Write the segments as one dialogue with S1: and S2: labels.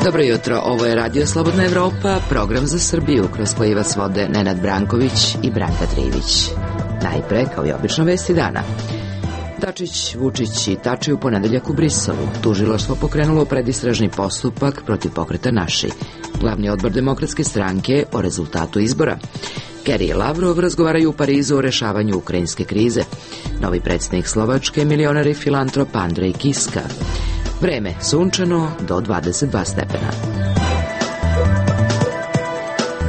S1: Dobro jutro, ovo je Radio Slobodna Evropa, program za Srbiju, kroz koji vas vode Nenad Branković i Branka Trivić. Najpre, kao i obično, vesti dana. Dačić, Vučić i Tači u ponedeljak u Briselu. Tužilaštvo pokrenulo predistražni postupak protiv pokreta Naši. Glavni odbor Demokratske stranke o rezultatu izbora. Kerry i Lavrov razgovaraju u Parizu o rešavanju ukrajinske krize. Novi predsjednik Slovačke, milioner i filantrop Andrej Kiska. Vreme sunčano do 22 stepena.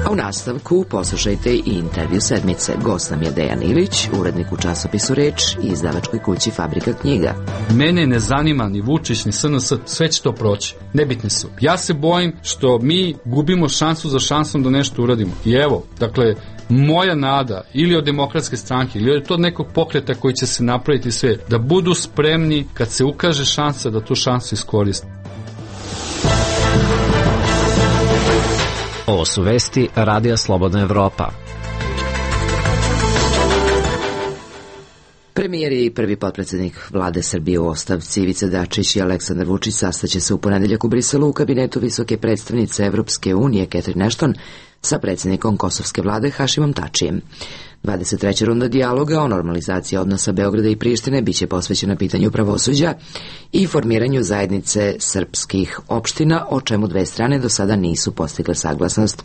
S1: A u nastavku poslušajte i intervju sedmice. Gost nam je Dejan Ilić, urednik u časopisu Reč i izdavačkoj kući Fabrika knjiga.
S2: Mene ne zanima ni Vučić, ni SNS, sve će to proći. Nebitni su. Ja se bojim što mi gubimo šansu za šansom da nešto uradimo. I evo, dakle, moja nada ili od Demokratske stranke ili od tog nekog pokreta koji će se napraviti sve, da budu spremni kad se ukaže šansa da tu šansu iskoriste.
S3: Ovo su vesti Radija Slobodna Evropa.
S1: Premijer i prvi potpredsjednik vlade Srbije u ostavci Ivica Dačić i Aleksandar Vučić sastaće se u ponedeljak u Briselu u kabinetu visoke predstavnice Evropske unije Catherine Ashton sa predsjednikom kosovske vlade Hašimom Tačijem. 23. runda dijaloga o normalizaciji odnosa Beograda i Prištine biće posvećena pitanju pravosuđa i formiranju zajednice srpskih opština, o čemu dve strane do sada nisu postigle saglasnost.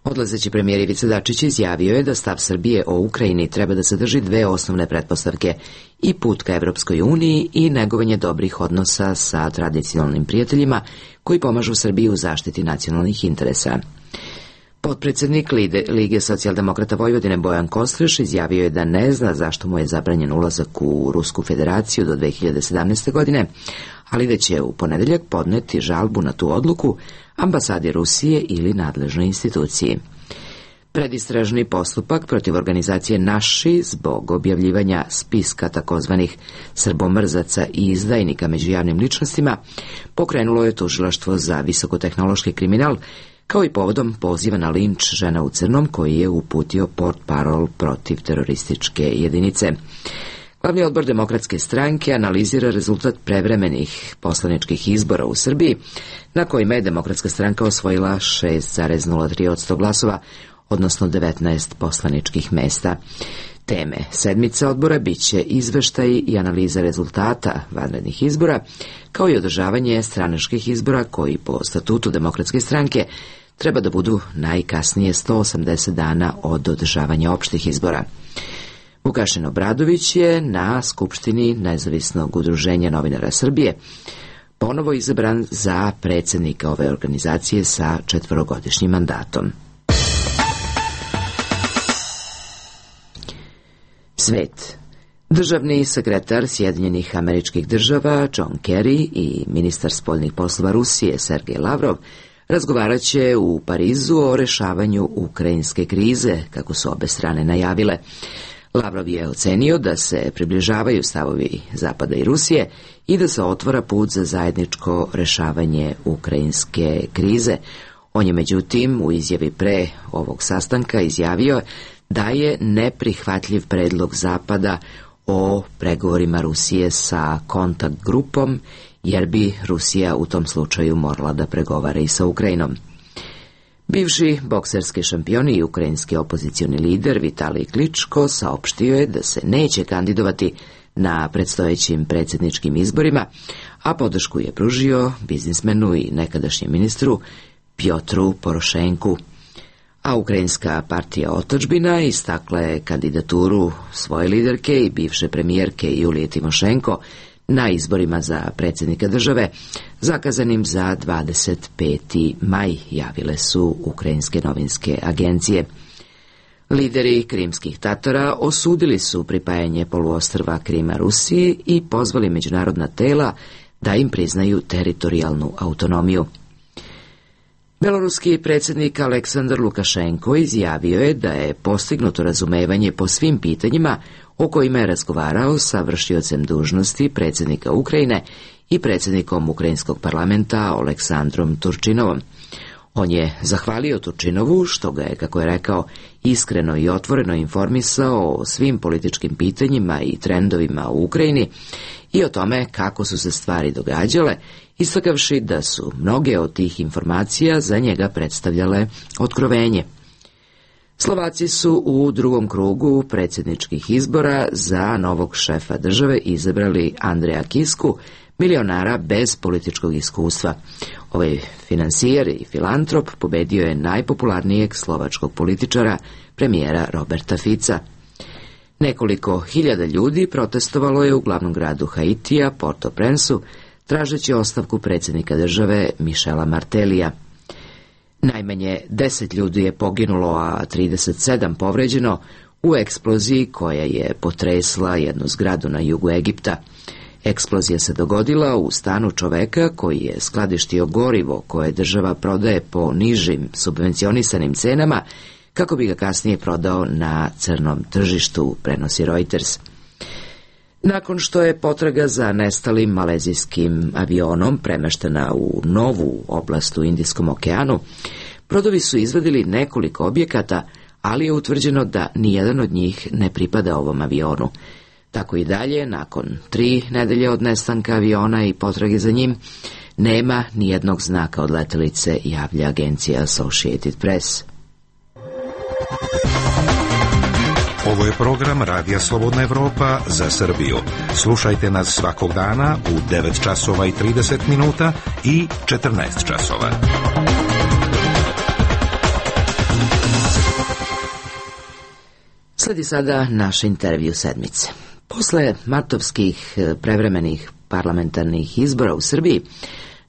S1: Odlazeći premijer Ivica Dačić izjavio je da stav Srbije o Ukrajini treba da sadrži dve osnovne pretpostavke: i put ka Evropskoj uniji i negovanje dobrih odnosa sa tradicionalnim prijateljima koji pomažu Srbiji u zaštiti nacionalnih interesa. Potpredsjednik Lige socijaldemokrata Vojvodine Bojan Kostreš izjavio je da ne zna zašto mu je zabranjen ulazak u Rusku federaciju do 2017. godine, ali da će u ponedeljak podneti žalbu na tu odluku ambasadi Rusije ili nadležnoj instituciji. Predistražni postupak protiv organizacije Naši zbog objavljivanja spiska takozvanih srbomrzaca i izdajnika među javnim ličnostima pokrenulo je tužilaštvo za visokotehnološki kriminal, kao i povodom poziva na linč Žena u crnom koji je uputio portparol protiv terorističke jedinice. Glavni odbor Demokratske stranke analizira rezultat prevremenih poslaničkih izbora u Srbiji, na kojima je Demokratska stranka osvojila 6,03% glasova, odnosno 19 poslaničkih mesta. Teme sedmice odbora biće izveštaji i analiza rezultata vanrednih izbora, kao i održavanje stranačkih izbora koji po statutu Demokratske stranke treba da budu najkasnije 180 dana od održavanja opštih izbora. Vukašin Obradović je na Skupštini Nezavisnog udruženja novinara Srbije ponovo izabran za predsjednika ove organizacije sa 4-godišnjim mandatom. Svet. Državni sekretar Sjedinjenih Američkih Država John Kerry i ministar spoljnih poslova Rusije Sergej Lavrov razgovarat će u Parizu o rešavanju ukrajinske krize, kako su obe strane najavile. Lavrov je ocenio da se približavaju stavovi Zapada i Rusije i da se otvara put za zajedničko rešavanje ukrajinske krize. On je međutim u izjavi pre ovog sastanka izjavio da je neprihvatljiv predlog Zapada o pregovorima Rusije sa kontakt grupom, jer bi Rusija u tom slučaju morala da pregovara i sa Ukrajinom. Bivši bokserski šampion i ukrajinski opozicioni lider Vitalij Kličko saopštio je da se neće kandidovati na predstojećim predsjedničkim izborima, a podršku je pružio biznismenu i nekadašnjem ministru Pjotru Porošenku. A Ukrajinska partija Otadžbina istakla je kandidaturu svoje liderke i bivše premijerke Julije Timošenko na izborima za predsjednika države, zakazanim za 25. maj, javile su ukrajinske novinske agencije. Lideri krimskih Tatara osudili su pripajanje poluostrva Krima Rusiji i pozvali međunarodna tela da im priznaju teritorijalnu autonomiju. Beloruski predsjednik Aleksandar Lukašenko izjavio je da je postignuto razumevanje po svim pitanjima o kojima je razgovarao sa vršiocem dužnosti predsjednika Ukrajine i predsjednikom Ukrajinskog parlamenta Oleksandrom Turčinovom. On je zahvalio Turčinovu što ga je, kako je rekao, iskreno i otvoreno informisao o svim političkim pitanjima i trendovima u Ukrajini i o tome kako su se stvari događale, istakavši da su mnoge od tih informacija za njega predstavljale otkrovenje. Slovaci su u drugom krugu predsjedničkih izbora za novog šefa države izabrali Andreja Kisku, milionara bez političkog iskustva. Ovaj finansijer i filantrop pobedio je najpopularnijeg slovačkog političara, premijera Roberta Fica. Nekoliko hiljada ljudi protestovalo je u glavnom gradu Haitija, Port-au-Prince-u, tražeći ostavku predsjednika države Michela Martelija. Najmanje 10 ljudi je poginulo, a 37 povređeno u eksploziji koja je potresla jednu zgradu na jugu Egipta. Eksplozija se dogodila u stanu čoveka koji je skladištio gorivo koje država prodaje po nižim subvencionisanim cenama kako bi ga kasnije prodao na crnom tržištu, prenosi Reuters. Nakon što je potraga za nestalim malezijskim avionom premeštena u novu oblast u Indijskom okeanu, brodovi su izvadili nekoliko objekata, ali je utvrđeno da nijedan od njih ne pripada ovom avionu. Tako i dalje, nakon 3 nedelje od nestanka aviona i potrage za njim, nema nijednog znaka od letelice, javlja agencija Associated Press.
S4: Ovo je program Radija Slobodna Evropa za Srbiju. Slušajte nas svakog dana u 9 časova i 30 minuta i 14 časova.
S1: Sledi sada naš intervju sedmice. Posle martovskih prevremenih parlamentarnih izbora u Srbiji,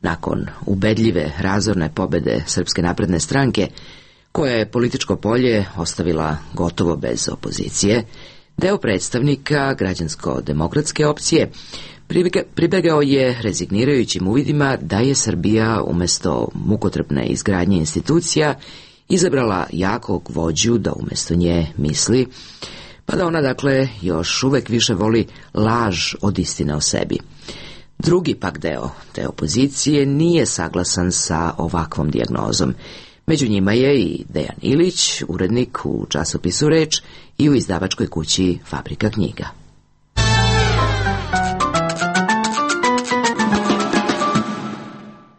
S1: nakon ubedljive razorne pobede Srpske napredne stranke, koja je političko polje ostavila gotovo bez opozicije, deo predstavnika građansko-demokratske opcije pribegao je rezignirajućim uvidima da je Srbija umesto mukotrpne izgradnje institucija izabrala jakog vođu da umesto nje misli, pa da ona dakle još uvek više voli laž od istine o sebi. Drugi pak deo te opozicije nije saglasan sa ovakvom dijagnozom. Među njima je i Dejan Ilić, urednik u časopisu Reč i u izdavačkoj kući Fabrika knjiga.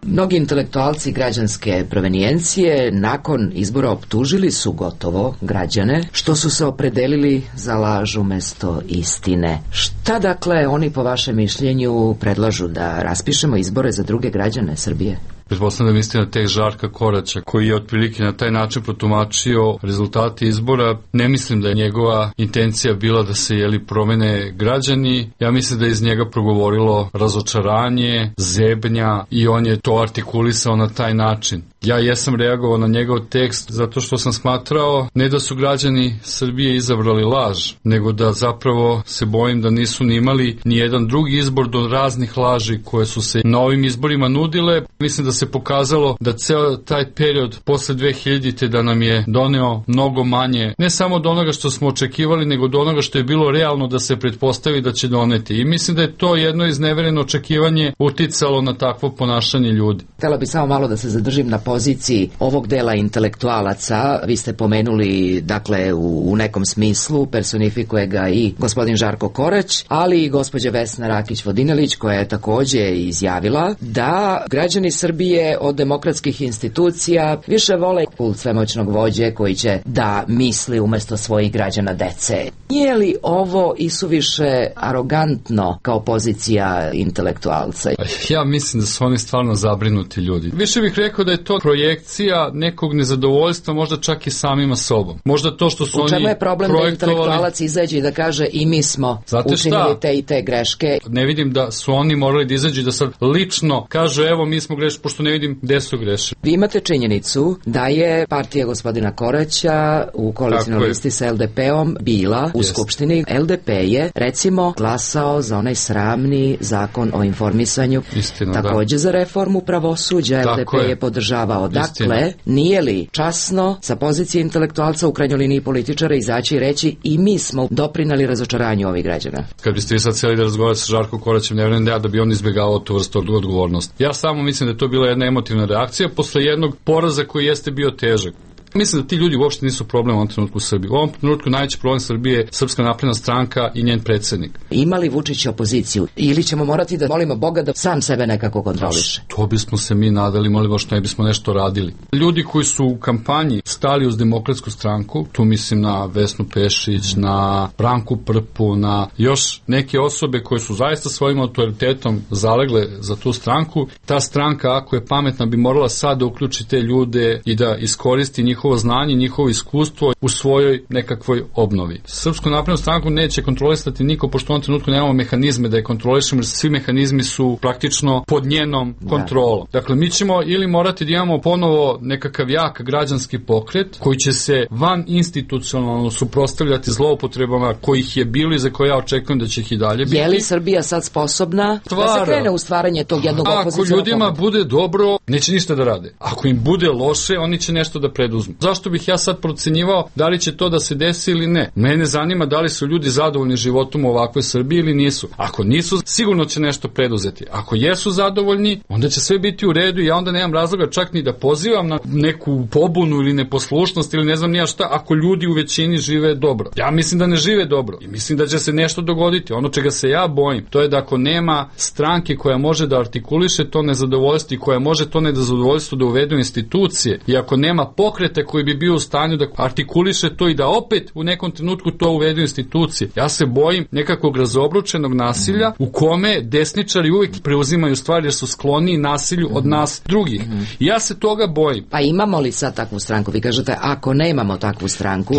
S1: Mnogi intelektualci građanske provenijencije nakon izbora optužili su gotovo građane što su se opredelili za laž umesto istine. Šta dakle oni po vašem mišljenju predlažu, da raspišemo izbore za druge građane Srbije?
S2: Pretpostavljam da mislim na tek Žarka Koraća, koji je otprilike na taj način protumačio rezultate izbora. Ne mislim da je njegova intencija bila da se promene građani. Ja mislim da je iz njega progovorilo razočaranje, zebnja i on je to artikulisao na taj način. Ja jesam reagovao na njegov tekst zato što sam smatrao ne da su građani Srbije izabrali laž, nego da zapravo se bojim da nisu ni imali ni jedan drugi izbor do raznih laži koje su se na ovim izborima nudile. Mislim da se pokazalo da ceo taj period posle 2000. da nam je doneo mnogo manje, ne samo do onoga što smo očekivali, nego do onoga što je bilo realno da se pretpostavi da će doneti. I mislim da je to jedno iznevereno očekivanje uticalo na takvo ponašanje ljudi.
S1: Htela bi samo malo da se zadržim na poziciji ovog dela intelektualaca. Vi ste pomenuli, dakle, u nekom smislu personifikuje ga i gospodin Žarko Korać, ali i gospođa Vesna Rakić-Vodinelić, koja je takođe izjavila da građani Srbije od demokratskih institucija više vole kult svemoćnog vođe koji će da misli umesto svojih građana dece. Nije li ovo isuviše arogantno kao pozicija intelektualca?
S2: Ja mislim da su oni stvarno zabrinuti ljudi. Više bih rekao da je to projekcija nekog nezadovoljstva, možda čak i samima sobom. Možda to što su oni projektovali... U čemu je problem da intelektualac izađe i da kaže i mi smo učinili te i te greške? Ne vidim da su oni morali da izađu i da sad lično kažu evo mi smo grešili, pošto ne vidim gde su grešili.
S1: Vi imate činjenicu da je partija gospodina Koraća u koalicijnoj listi sa LDP-om bila u Skupštini. LDP je, recimo, glasao za onaj sramni zakon o informisanju.
S2: Istina,
S1: takođe za reformu pravosuđa. LDP je podržavao objašnjavao. Dakle, nije li časno sa pozicije intelektualca, u krajnjoj liniji političara, izaći i reći i mi smo doprinali razočaranju ovih građana?
S2: Kad biste vi sad cijeli da razgovarate sa Žarkom Koraćem, ne vjerujem da bi on izbjegavao tu vrstu odgovornosti. Ja samo mislim da je to bila jedna emotivna reakcija posle jednog poraza koji jeste bio težak. Mislim da ti ljudi uopšte nisu problem u ovom trenutku u Srbiji. U ovom trenutku najveći problem Srbije je Srpska napredna stranka i njen predsjednik.
S1: Ima li Vučić opoziciju? Ili ćemo morati da molimo Boga da sam sebe nekako kontroliše?
S2: To bismo se mi nadali, molimo što ne bismo nešto radili. Ljudi koji su u kampanji stali uz Demokratsku stranku, tu mislim na Vesnu Pešić, na Branku Prpu, na još neke osobe koje su zaista svojim autoritetom zalegle za tu stranku, ta stranka, ako je pametna, bi morala sad da uključi te ljude i da iskoristi njihovo znanje, njihovo iskustvo u svojoj nekakvoj obnovi. Srpsku naprednu stranku neće kontrolisati niko, pošto u ovom trenutku nemamo mehanizme da je kontrolišemo, jer svi mehanizmi su praktično pod njenom kontrolom. Dakle, mi ćemo ili morati da imamo ponovo nekakav jak građanski pokret koji će se van institucionalno suprotstavljati zloupotrebama kojih je bilo i za koje ja očekujem da će ih i dalje biti.
S1: Je li Srbija sad sposobna da se krene u stvaranje tog jednog opozicionog?
S2: Ako ljudima bude dobro, neće ništa da rade. Ako im bude loše, oni će nešto da preduzmu. Zašto bih ja sad procenjivao da li će to da se desi ili ne? Mene zanima da li su ljudi zadovoljni životom u ovakvoj Srbiji ili nisu. Ako nisu, sigurno će nešto preduzeti. Ako jesu zadovoljni, onda će sve biti u redu i ja onda nemam razloga čak ni da pozivam na neku pobunu ili neposlušnost ili ne znam nija šta, ako ljudi u većini žive dobro. Ja mislim da ne žive dobro i mislim da će se nešto dogoditi. Ono čega se ja bojim, to je da ako nema stranke koja može da artikuliše to nezadovoljstvo i koja može to nezadovoljstvo da uvede u institucije i ako nema pokreta koji bi bio u stanju da artikuliše to i da opet u nekom trenutku to uvede u institucije. Ja se bojim nekakvog razobručenog nasilja u kome desničari uvijek preuzimaju stvari jer su skloniji nasilju od nas drugih. I ja se toga bojim.
S1: Pa imamo li sad takvu stranku? Vi kažete, ako nemamo takvu stranku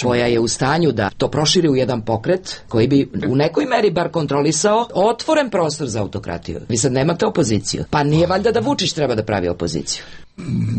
S1: koja je u stanju da to proširi u jedan pokret koji bi u nekoj meri bar kontrolisao otvoren prostor za autokratiju. Vi sad nemate opoziciju. Pa nije valjda da Vučić treba da pravi opoziciju?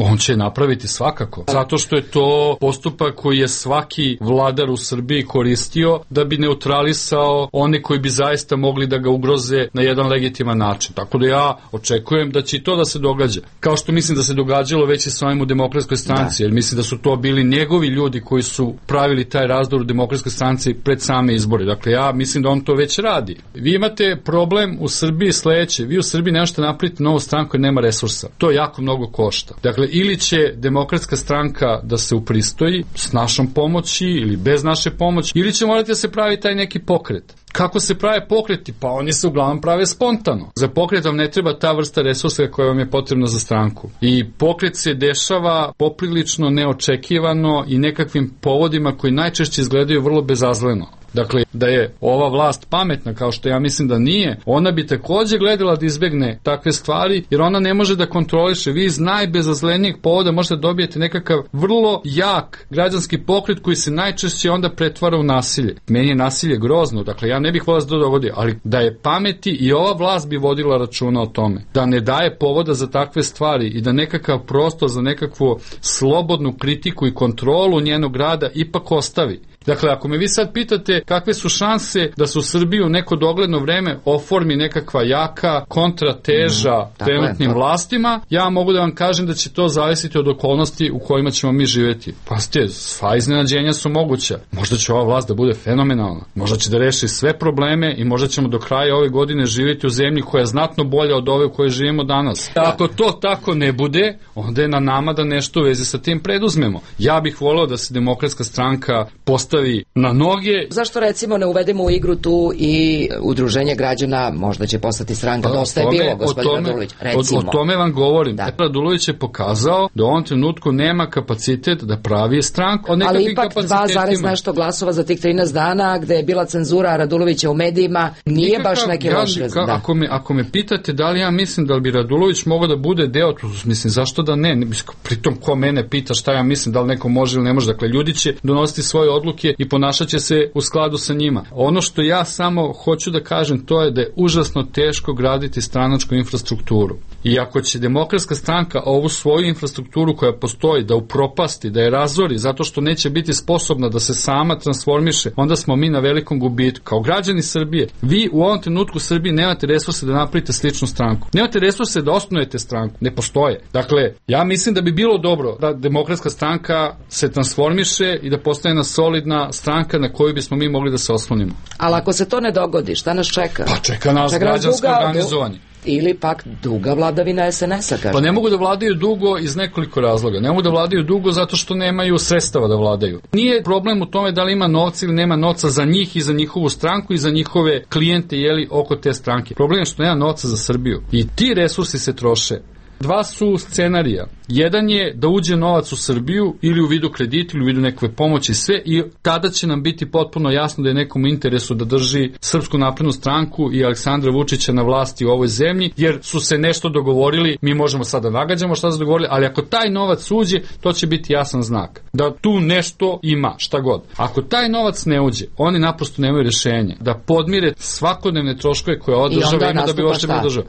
S2: On će napraviti svakako. Zato što je to postupak koji je svaki vladar u Srbiji koristio da bi neutralisao one koji bi zaista mogli da ga ugroze na jedan legitiman način. Tako da ja očekujem da će i to da se događa. Kao što mislim da se događalo već i s ovim u Demokratskoj stranci, jer mislim da su to bili njegovi ljudi koji su pravili taj razdor u Demokratskoj stranci pred same izbore. Dakle, ja mislim da on to već radi. Vi imate problem u Srbiji sledeće. Vi u Srbiji ne možete napraviti novu stranku jer nema resursa. To jako mnogo košta. Dakle, ili će Demokratska stranka da se upristoji s našom pomoći ili bez naše pomoći, ili će morati da se pravi taj neki pokret. Kako se prave pokreti? Pa oni se uglavnom prave spontano. Za pokret vam ne treba ta vrsta resursa koja vam je potrebna za stranku. I pokret se dešava poprilično neočekivano i nekakvim povodima koji najčešće izgledaju vrlo bezazleno. Dakle, da je ova vlast pametna, kao što ja mislim da nije, ona bi također gledala da izbegne takve stvari, jer ona ne može da kontroliše. Vi iz najbezazlenijeg povoda možete dobijete nekakav vrlo jak građanski pokret koji se najčešće onda pretvara u nasilje. Meni je nasilje grozno, dakle ja ne bih volao da se to dogodi, ali da je pameti i ova vlast bi vodila računa o tome. Da ne daje povoda za takve stvari i da nekakav prostor za nekakvu slobodnu kritiku i kontrolu njenog rada ipak ostavi. Dakle, ako me vi sad pitate kakve su šanse da se u Srbiji u neko dogledno vreme oformi nekakva jaka kontrateža trenutnim vlastima, ja mogu da vam kažem da će to zavisiti od okolnosti u kojima ćemo mi živjeti. Pazite, sva iznenađenja su moguća. Možda će ova vlast da bude fenomenalna. Možda će da reši sve probleme i možda ćemo do kraja ove godine živjeti u zemlji koja je znatno bolja od ove u kojoj živimo danas. Ako to tako ne bude, onda je na nama da nešto u vezi sa tim preduzmemo. Ja bih voleo da se Demokratska stranka postavi na noge.
S1: Zašto recimo ne uvedemo u igru tu i udruženje građana, možda će postati stranka, dosta je bilo, gospodin Radulović, recimo.
S2: O tome vam govorim. Radulović je pokazao da u ovom trenutku nema kapacitet da pravi stranku.
S1: Ali ipak 2, nešto glasova za tih 13 dana gde je bila cenzura Radulovića u medijima, nije baš neki loš rezultat.
S2: Ako me pitate da li ja mislim da li bi Radulović mogao da bude deo, mislim, zašto da ne? Pritom ko mene pita šta ja mislim, da li neko može ili ne može. Dakle, ljudi će donositi svoje odluke i ponašat će se u skladu sa njima. Ono što ja samo hoću da kažem, to je da je užasno teško graditi stranačku infrastrukturu. I ako će Demokratska stranka ovu svoju infrastrukturu koja postoji da upropasti, da je razori zato što neće biti sposobna da se sama transformiše, onda smo mi na velikom gubitku. Kao građani Srbije, vi u ovom trenutku u Srbiji nemate resurse da napravite sličnu stranku. Nemate resurse da osnujete stranku. Ne postoje. Dakle, ja mislim da bi bilo dobro da Demokratska stranka se transformiše i da postane jedna solidna stranka na koju bismo mi mogli da se oslonimo.
S1: Ali ako se to ne dogodi, šta nas čeka?
S2: Pa čeka nas građansko organizovanje.
S1: Ili pak duga vladavina SNS-a, kaže.
S2: Pa ne mogu da vladaju dugo iz nekoliko razloga. Ne mogu da vladaju dugo zato što nemaju sredstava da vladaju. Nije problem u tome da li ima novca ili nema novca za njih i za njihovu stranku i za njihove klijente oko te stranke. Problem je što nema novca za Srbiju. I ti resursi se troše. Dva su scenarija. Jedan je da uđe novac u Srbiju ili u vidu kredita ili u vidu nekakve pomoći sve i tada će nam biti potpuno jasno da je nekom interesu da drži Srpsku naprednu stranku i Aleksandra Vučića na vlasti u ovoj zemlji, jer su se nešto dogovorili, mi možemo sada nagađamo šta se dogovorili, ali ako taj novac uđe, to će biti jasan znak da tu nešto ima, šta god. Ako taj novac ne uđe, oni naprosto nemaju rješenje da podmire svakodnevne troškove koje ova država ima da bi uopšte bila država.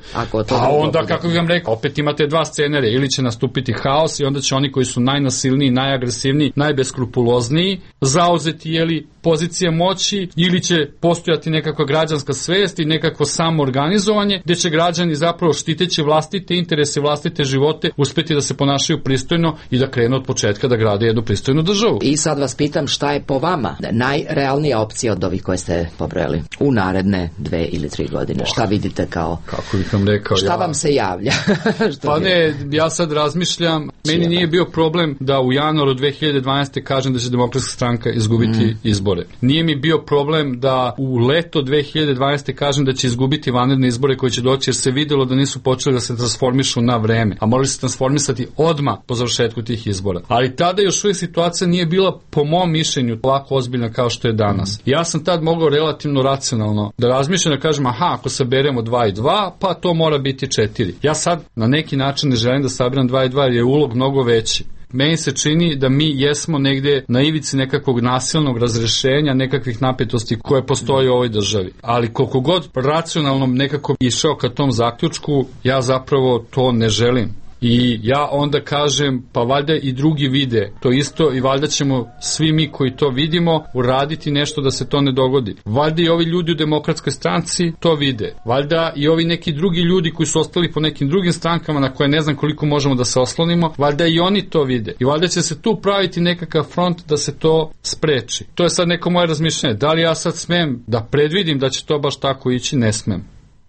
S1: Pa
S2: onda, kako bih vam rekao, opet imate dva scenarija, ili će nastupiti haos i onda će oni koji su najnasilniji, najagresivniji, najbeskrupulozniji zauzeti pozicije moći, ili će postojati nekakva građanska svest i nekakvo samoorganizovanje gdje će građani zapravo štiteći vlastite interese, vlastite živote uspjeti da se ponašaju pristojno i da krenu od početka da grade jednu pristojnu državu.
S1: I sad vas pitam šta je po vama najrealnija opcija od ovih koje ste pobrojali u naredne 2 ili 3 godine? Šta vidite kao?
S2: Kako bih vam rekao?
S1: Šta vam se javlja?
S2: Pa ne, ja sad razmišljam, meni nije bio problem da u januaru 2012. kažem da će Demokratska stranka izgubiti izbore. Nije mi bio problem da u leto 2012. kažem da će izgubiti vanredne izbore koji će doći, jer se vidjelo da nisu počeli da se transformišu na vreme, a morali se transformisati odmah po završetku tih izbora. Ali tada još uvijek situacija nije bila, po mom mišljenju, ovako ozbiljna kao što je danas. Ja sam tad mogao relativno racionalno da razmišljam, da kažem, ako saberemo 2 i 2, pa to mora biti 4. Ja sad na neki način ne želim da sabiram 2 i 2 jer je ulog mnogo veći. Meni se čini da mi jesmo negde na ivici nekakvog nasilnog razrešenja, nekakvih napetosti koje postoje u ovoj državi. Ali koliko god racionalno nekako išao ka tom zaključku, ja zapravo to ne želim. I ja onda kažem, pa valjda i drugi vide to isto i valjda ćemo svi mi koji to vidimo uraditi nešto da se to ne dogodi. Valjda i ovi ljudi u Demokratskoj stranci to vide. Valjda i ovi neki drugi ljudi koji su ostali po nekim drugim strankama na koje ne znam koliko možemo da se oslonimo, valjda i oni to vide. I valjda će se tu praviti nekakav front da se to spreči. To je sad neko moje razmišljanje. Da li ja sad smem da predvidim da će to baš tako ići? Ne smem.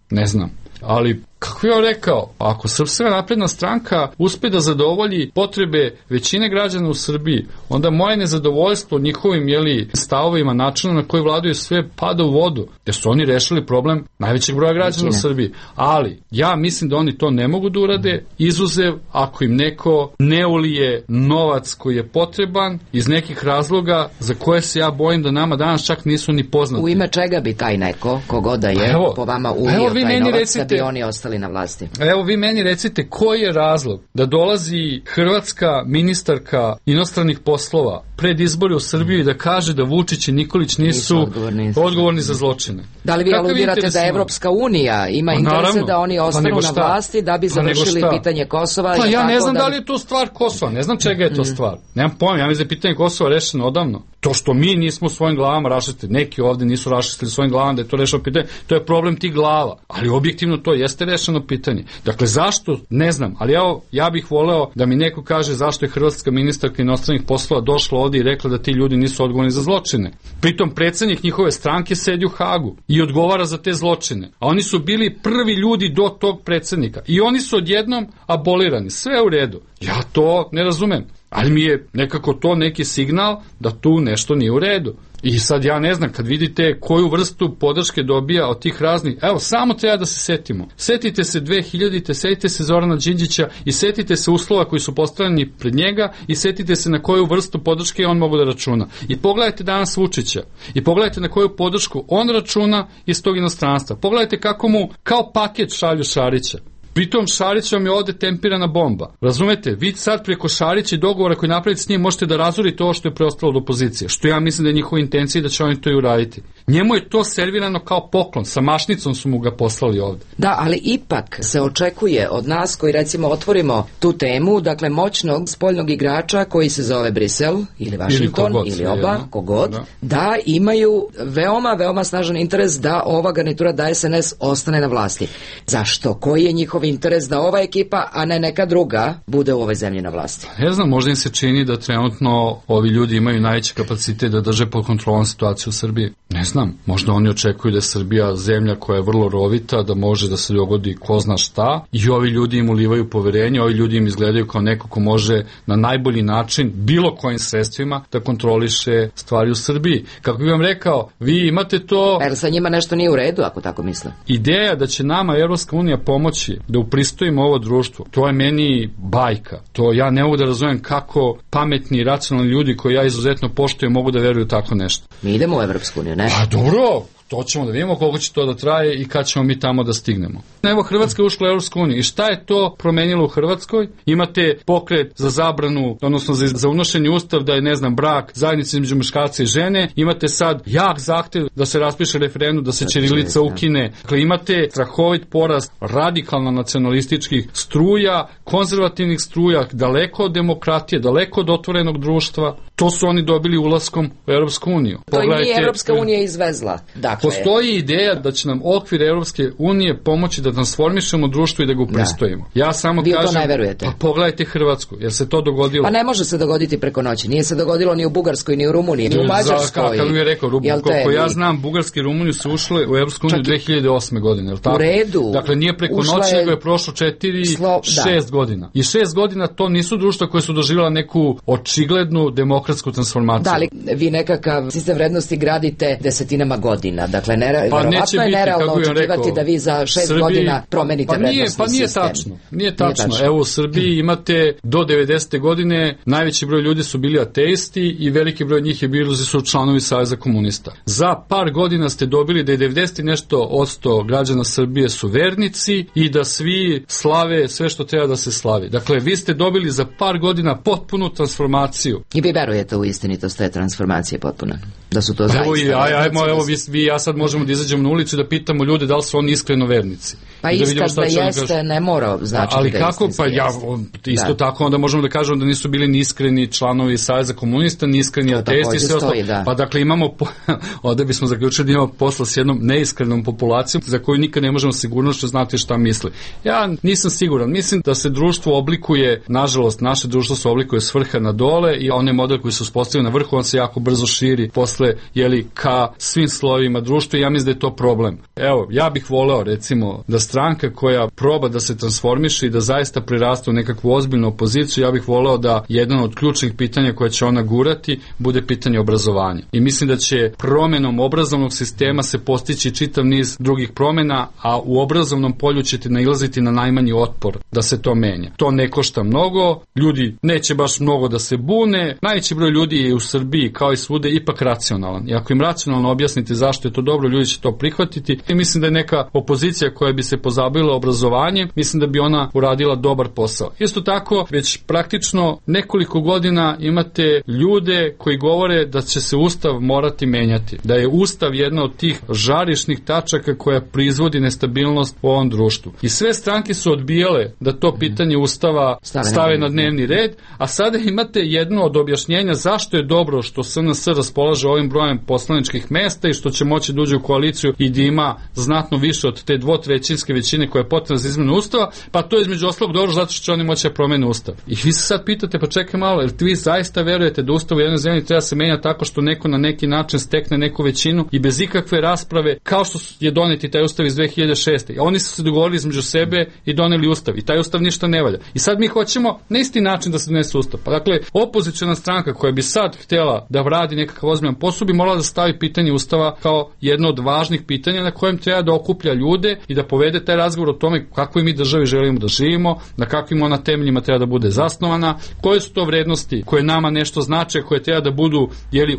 S2: Ne znam. Ali, kako ja rekao, ako Srpska napredna stranka uspe da zadovolji potrebe većine građana u Srbiji, onda moje nezadovoljstvo njihovim stavovima, načinom na koji vladaju sve pada u vodu, jer su oni rešili problem najvećeg broja građana u Srbiji. Ali, ja mislim da oni to ne mogu da urade, izuzev ako im neko ne ulije novac koji je potreban iz nekih razloga za koje se ja bojim da nama danas čak nisu ni poznati.
S1: U ime čega bi taj neko, kogoda je, po vama ulio taj novac da bi oni ostali na vlasti?
S2: Evo vi meni recite koji je razlog da dolazi hrvatska ministarka inostranih poslova pred izbore u Srbiji i da kaže da Vučić i Nikolić nisu odgovorni za zločine.
S1: Da li vi aludirate da Evropska unija ima interese da oni ostanu na vlasti da bi završili pitanje Kosova?
S2: Pa ja ne znam da li je to stvar Kosova, ne znam čega je to stvar. Nemam pojma, ja mislim da je pitanje Kosova rešeno odavno. To što mi nismo u svojim glavama raščistili, neki ovdje nisu raščistili svojim glavama da je to rešeno pitanje, to je problem tih glava. Ali objektivno to jeste rešeno pitanje. Dakle, zašto? Ne znam, ali ja bih voleo da mi neko kaže zašto je hrvatska ministarka inostranih poslova došla ovdje i rekla da ti ljudi nisu odgovorni za zločine. Pritom predsjednik njihove stranke sedi u Hagu i odgovara za te zločine. A oni su bili prvi ljudi do tog predsjednika. I oni su odjednom abolirani. Sve u redu. Ja to ne razumem. Ali mi je nekako to neki signal da tu nešto nije u redu. I sad ja ne znam, kad vidite koju vrstu podrške dobija od tih raznih, evo, samo treba da se setimo. Setite se 2000-te, setite se Zorana Đinđića i setite se uslova koji su postavljeni pred njega i setite se na koju vrstu podrške on mogu da računa. I pogledajte danas Vučića i pogledajte na koju podršku on računa iz tog inostranstva. Pogledajte kako mu kao paket šalju Šarića. Pritom Šarić vam je ovdje tempirana bomba. Razumete, vi sad preko Šarića i dogovora koji napravite s njim možete da razorite ovo što je preostalo od opozicije. Što ja mislim da je njihova intencija i da će oni to i uraditi. Njemu je to servirano kao poklon, sa mašnicom su mu ga poslali ovde.
S1: Da, ali ipak se očekuje od nas koji recimo otvorimo tu temu, dakle moćnog spoljnog igrača koji se zove Brisel ili Washington ili oba, kogod, da imaju veoma snažan interes da ova garnitura da SNS ostane na vlasti. Zašto? Koji je njihov interes da ova ekipa, a ne neka druga, bude u ovoj zemlji na vlasti?
S2: Ne znam, možda im se čini da trenutno ovi ljudi imaju najveći kapacitet da drže pod kontrolom situaciju u Srbiji. Ne znam, možda oni očekuju da je Srbija zemlja koja je vrlo rovita, da može da se dogodi ko zna šta, i ovi ljudi im ulivaju poverenje, ovi ljudi im izgledaju kao neko ko može na najbolji način, bilo kojim sredstvima, da kontroliše stvari u Srbiji. Kako bih vam rekao, vi imate to...
S1: Jer sa njima nešto nije u redu, ako tako misle.
S2: Ideja da će nama Evropska unija pomoći da upristojimo ovo društvo, to je meni bajka. To ja ne mogu da razumem kako pametni i racionalni ljudi koji ja izuzetno poštujem mogu da veruju tako nešto.
S1: Mi idemo u Evropsku uniju, ne?
S2: Pa dobro, to ćemo da vidimo koliko će to da traje i kad ćemo mi tamo da stignemo. Evo, Hrvatska je ušla u Evropsku uniju i šta je to promenilo u Hrvatskoj? Imate pokret za zabranu, odnosno za unošenje ustav da je, ne znam, brak zajednice između muškarca i žene, imate sad jak zahtev da se raspiše referendum, da se ćirilica ukine. Dakle, imate strahovit porast radikalno nacionalističkih struja, konzervativnih struja, daleko od demokratije, daleko od otvorenog društva. To su oni dobili ulaskom u Evropsku uniju.
S1: To i nije Evropska unija izvezla. Dakle,
S2: postoji ideja da će nam okvir Evropske unije pomoći da transformišemo društvo i da ga upristojimo. Ja samo
S1: vi
S2: kažem,
S1: to ne verujete.
S2: Pa pogledajte Hrvatsku, jer se to dogodilo.
S1: Pa ne može se dogoditi preko noći. Nije se dogodilo ni u Bugarskoj, ni u Rumuniji, ni u Mađarskoj.
S2: Kako bih rekao, koliko ja znam, Bugarska i Rumuniju su ušle u Evropsku uniju 2008. godine, je li tako?
S1: U redu.
S2: Dakle, nije preko noći, nego je prošlo 6 godina. I 6 godina to nisu društva koje su doživjela neku očiglednu demokratsku transformaciju.
S1: Da, ali vi nekakav sistem vrednosti gradite desetinama godina. Dakle, verovatno je nerealno očekivati da vi za 6 godina promenite vrednostni sistem.
S2: Nije tačno. Evo, u Srbiji imate do 90. godine najveći broj ljudi su bili ateisti i veliki broj njih je bili su članovi Saveza komunista. Za par godina ste dobili da je 90 nešto odsto građana Srbije su vernici i da svi slave sve što treba da se slavi. Dakle, vi ste dobili za par godina potpunu transformaciju.
S1: I vi verujete u istinitost te transformacije potpuno? Da su to zaista...
S2: Evo, vi ja sad možemo da izađemo na ulicu i da pitamo ljude da li su oni iskreno vernici.
S1: Pa iskaz da jeste ne mora znači
S2: ali kako? Pa ja isto tako onda možemo da kažemo da nisu bili ni iskreni članovi Saveza komunista, ni iskreni ateisti i sve ostalo. Pa dakle imamo, ovdje bismo zaključili da imamo posla s jednom neiskrenom populacijom za koju nikad ne možemo sigurnošću znati šta misli. Ja nisam siguran. Mislim da se društvo oblikuje, nažalost, naše društvo se oblikuje s vrha na dole i onaj model koji se uspostavio na vrhu, on se jako brzo širi posle, ka svim slojevima društva i ja mislim da je to problem. Evo, ja bih voleo, recimo, da stranka koja proba da se transformiše i da zaista priraste u nekakvu ozbiljnu opoziciju, ja bih voleo da jedan od ključnih pitanja koje će ona gurati bude pitanje obrazovanja. I mislim da će promenom obrazovnog sistema se postići čitav niz drugih promjena, a u obrazovnom polju ćete nailaziti na najmanji otpor da se to menja. To ne košta mnogo, ljudi neće baš mnogo da se bune, najveći broj ljudi je u Srbiji kao i svude ipak racionalan. I ako im racionalno objasnite zašto je to dobro, ljudi će to prihvatiti i mislim da je neka opozicija koja bi se pozabavila obrazovanjem, mislim da bi ona uradila dobar posao. Isto tako, već praktično nekoliko godina imate ljude koji govore da će se Ustav morati menjati, da je Ustav jedna od tih žarišnih tačaka koja proizvodi nestabilnost u ovom društvu. I sve stranke su odbijale da to pitanje Ustava stave na dnevni red, a sada imate jedno od objašnjenja zašto je dobro što SNS raspolaže ovim brojem poslaničkih mesta i što će moći da uđe u koaliciju i da ima znatno više od te dvotrećinske većine koja je potrebna za izmenu Ustava, pa to je između ostalog dobro zato što će oni moći da promene Ustav. I vi se sad pitate, pa čekaj malo, jer vi zaista verujete da Ustav u jednoj zemlji treba se menja tako što neko na neki način stekne neku većinu i bez ikakve rasprave, kao što je doneti taj Ustav iz 2006. Oni su se dogovorili između sebe i doneli Ustav. I taj Ustav ništa ne valja. I sad mi hoćemo na isti način da se donese Ustav. Pa dakle, opoziciona stranka koja bi sad htjela da radi nekakav ozbiljan posao bi morala da stavi pitanje Ustava kao jedno od važnih pitanja na kojem treba da okuplja ljude i da povede povede taj razgovor o tome kakvoj mi državi želimo da živimo, na kakvim ona temeljima treba da bude zasnovana, koje su to vrednosti koje nama nešto znače, koje treba da budu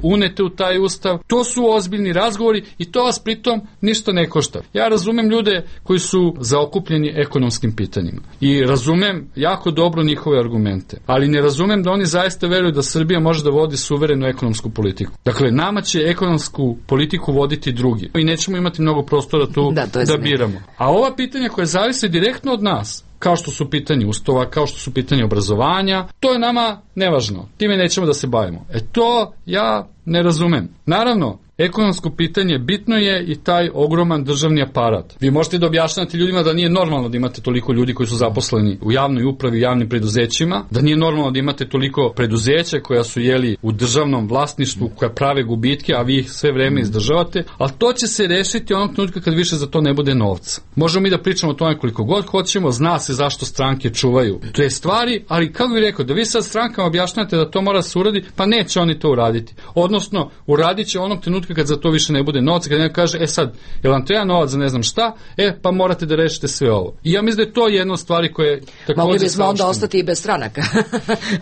S2: unete u taj ustav. To su ozbiljni razgovori i to vas pritom ništa ne košta. Ja razumem ljude koji su zaokupljeni ekonomskim pitanjima i razumem jako dobro njihove argumente, ali ne razumem da oni zaista veruju da Srbija može da vodi suverenu ekonomsku politiku. Dakle, nama će ekonomsku politiku voditi drugi i nećemo imati mnogo prostora tu da biramo. A ova pitanja koja zavise direktno od nas, kao što su pitanje ustava, kao što su pitanje obrazovanja, to je nama nevažno. Time nećemo da se bavimo. To ja ne razumem. Naravno, ekonomsko pitanje bitno je i taj ogroman državni aparat. Vi možete da objašnjate ljudima da nije normalno da imate toliko ljudi koji su zaposleni u javnoj upravi, u javnim preduzećima, da nije normalno da imate toliko preduzeća koja su u državnom vlasništvu, koja prave gubitke, a vi ih sve vreme izdržavate, ali to će se rešiti onog trenutka kad više za to ne bude novca. Možemo mi da pričamo o tome koliko god hoćemo, zna se zašto stranke čuvaju te stvari, ali kako bih rekao, da vi sad strankama objašnjate da to mora se uradi, pa neće oni to uraditi. Odnosno, uradit će onog trenutka kad za to više ne bude novca, kad neko kaže, sad, jel vam treba novac za ne znam šta, pa morate da rešite sve ovo. I ja mislim da je to jedna od stvari koje takođe
S1: mogli bismo onda ostati i bez stranaka.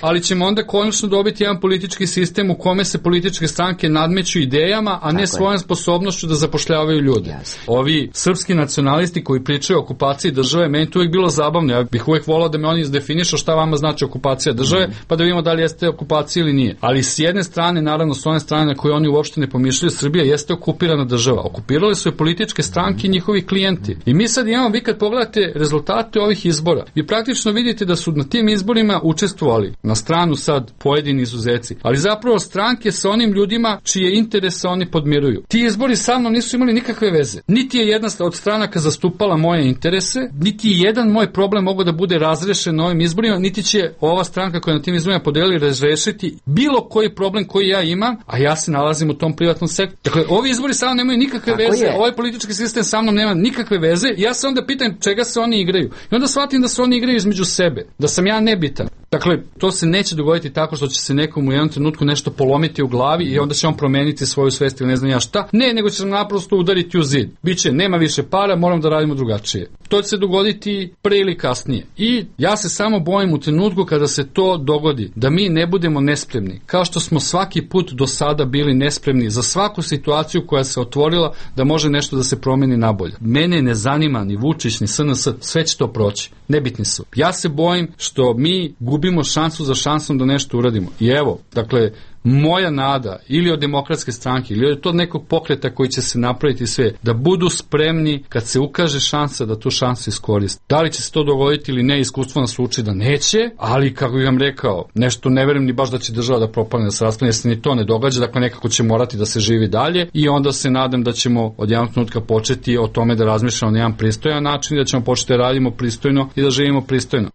S2: Ali ćemo onda konačno dobiti jedan politički sistem u kome se političke stranke nadmeću idejama, a ne svojom sposobnošću da zapošljavaju ljude.
S1: Jasne.
S2: Ovi srpski nacionalisti koji pričaju o okupaciji države, meni to uvijek bilo zabavno. Ja bih uvijek volao da me oni izdefinišu šta vama znači okupacija države, pa da vidimo da li jeste okupacija ili nije. Ali s jedne strane, naravno s one strane na koje oni uopšte ne pomišljaju, Srbija jeste okupirana država. Okupirale su je političke stranke i njihovi klijenti. I mi sad imamo, vi kad pogledate rezultate ovih izbora, vi praktično vidite da su na tim izborima učestvovali, na stranu sad pojedini izuzeci, ali zapravo stranke sa onim ljudima čije interese oni podmiruju. Ti izbori sa mnom nisu imali nikakve veze. Niti je jedna od stranaka zastupala moje interese, niti jedan moj problem mogao da bude razrešen na ovim izborima, niti će ova stranka koja na tim izborima podelili razrešiti bilo koji problem koji ja imam, a ja se nalazim u tom privatnom sektoru. Dakle, ovi izbori sa mnom nemaju nikakve veze, ovaj politički sistem sa mnom nema nikakve veze. Ja se onda pitam čega se oni igraju. I onda shvatim da se oni igraju između sebe, da sam ja nebitan. Dakle, to se neće dogoditi tako što će se nekom u jednom trenutku nešto polomiti u glavi i onda će on promeniti svoju svest ili ne znam ja šta. Ne, nego će se naprosto udariti u zid. Biće, nema više para, moram da radimo drugačije. To će se dogoditi pre ili kasnije. I ja se samo bojim u trenutku kada se to dogodi, da mi ne budemo nespremni, kao što smo svaki put do sada bili nespremni za svaku situaciju koja se otvorila da može nešto da se promeni nabolje. Mene ne zanima ni Vučić, ni SNS, sve će to proći. Nebitni su. Ja se bojim što mi gubimo šansu za šansom da nešto uradimo. I evo, dakle, moja nada ili od Demokratske stranke ili od tog nekog pokreta koji će se napraviti sve, da budu spremni kad se ukaže šansa da tu šansu iskoriste. Da li će se to dogoditi ili ne, iskustvo nas uči da neće, ali kako bih vam rekao, nešto ne verujem ni baš da će država da propadne, da se raspadne, jer se ni to ne događa, dakle nekako će morati da se živi dalje i onda se nadam da ćemo od jednog trenutka početi o tome da razmišljamo na jedan pristojan način, da ćemo početi da radimo pristojno i da živimo pristojno.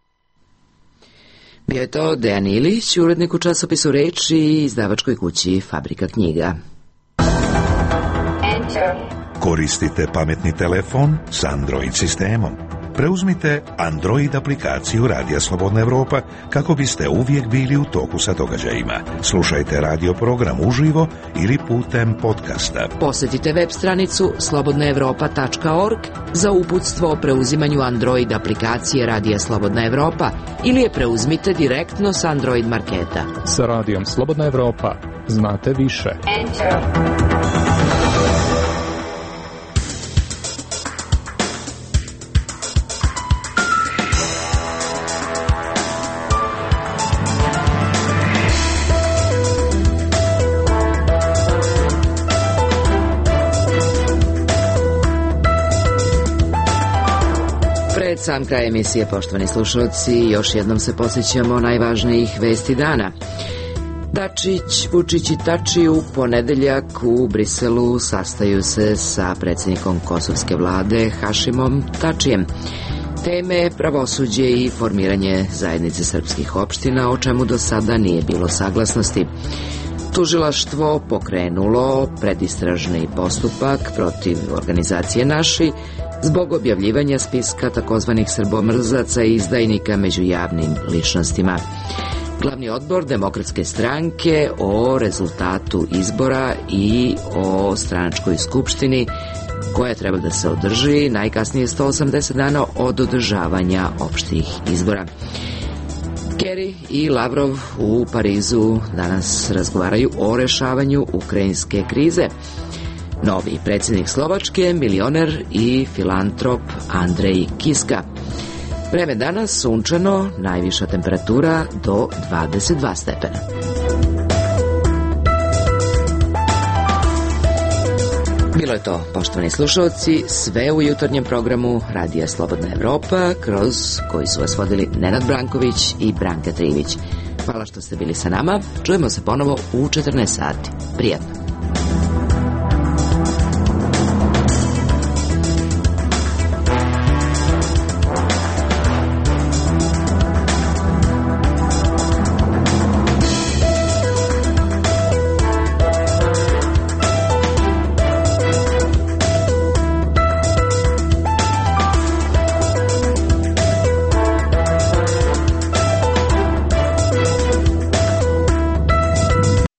S1: Bio je to Dejan Ilić, urednik u časopisu Reč i izdavačkoj kući Fabrika knjiga.
S4: Koristite pametni telefon s Android sistemom. Preuzmite Android aplikaciju Radija Slobodna Evropa kako biste uvijek bili u toku sa događajima. Slušajte radio program uživo ili putem podcasta.
S1: Posjetite web stranicu slobodnaevropa.org za uputstvo o preuzimanju Android aplikacije Radija Slobodna Evropa ili je preuzmite direktno s Android marketa.
S5: Sa Radijom Slobodna Evropa znate više.
S1: Pred sam kraj emisije, poštovani slušalci, još jednom se posjećamo najvažnijih vesti dana. Dačić, Vučić i Tači u ponedeljak u Briselu sastaju se sa predsjednikom kosovske vlade Hašimom Tačijem. Teme pravosuđe i formiranje zajednice srpskih opština, o čemu do sada nije bilo saglasnosti. Tužilaštvo pokrenulo predistražni postupak protiv organizacije Naši zbog objavljivanja spiska takozvanih srbomrzaca i izdajnika među javnim ličnostima. Glavni Izborni odbor Demokratske stranke o rezultatu izbora i o stranačkoj skupštini koja treba da se održi najkasnije 180 dana od održavanja opštih izbora. Kerry i Lavrov u Parizu danas razgovaraju o rešavanju ukrajinske krize. Novi predsjednik Slovačke, milioner i filantrop Andrej Kiska. Vreme danas sunčano, najviša temperatura do 22 stepena. Bilo je to, poštovani slušalci, sve u jutarnjem programu Radija Slobodna Evropa, kroz koji su vas vodili Nenad Branković i Branka Trivić. Hvala što ste bili sa nama. Čujemo se ponovo u 14 sati. Prijatno.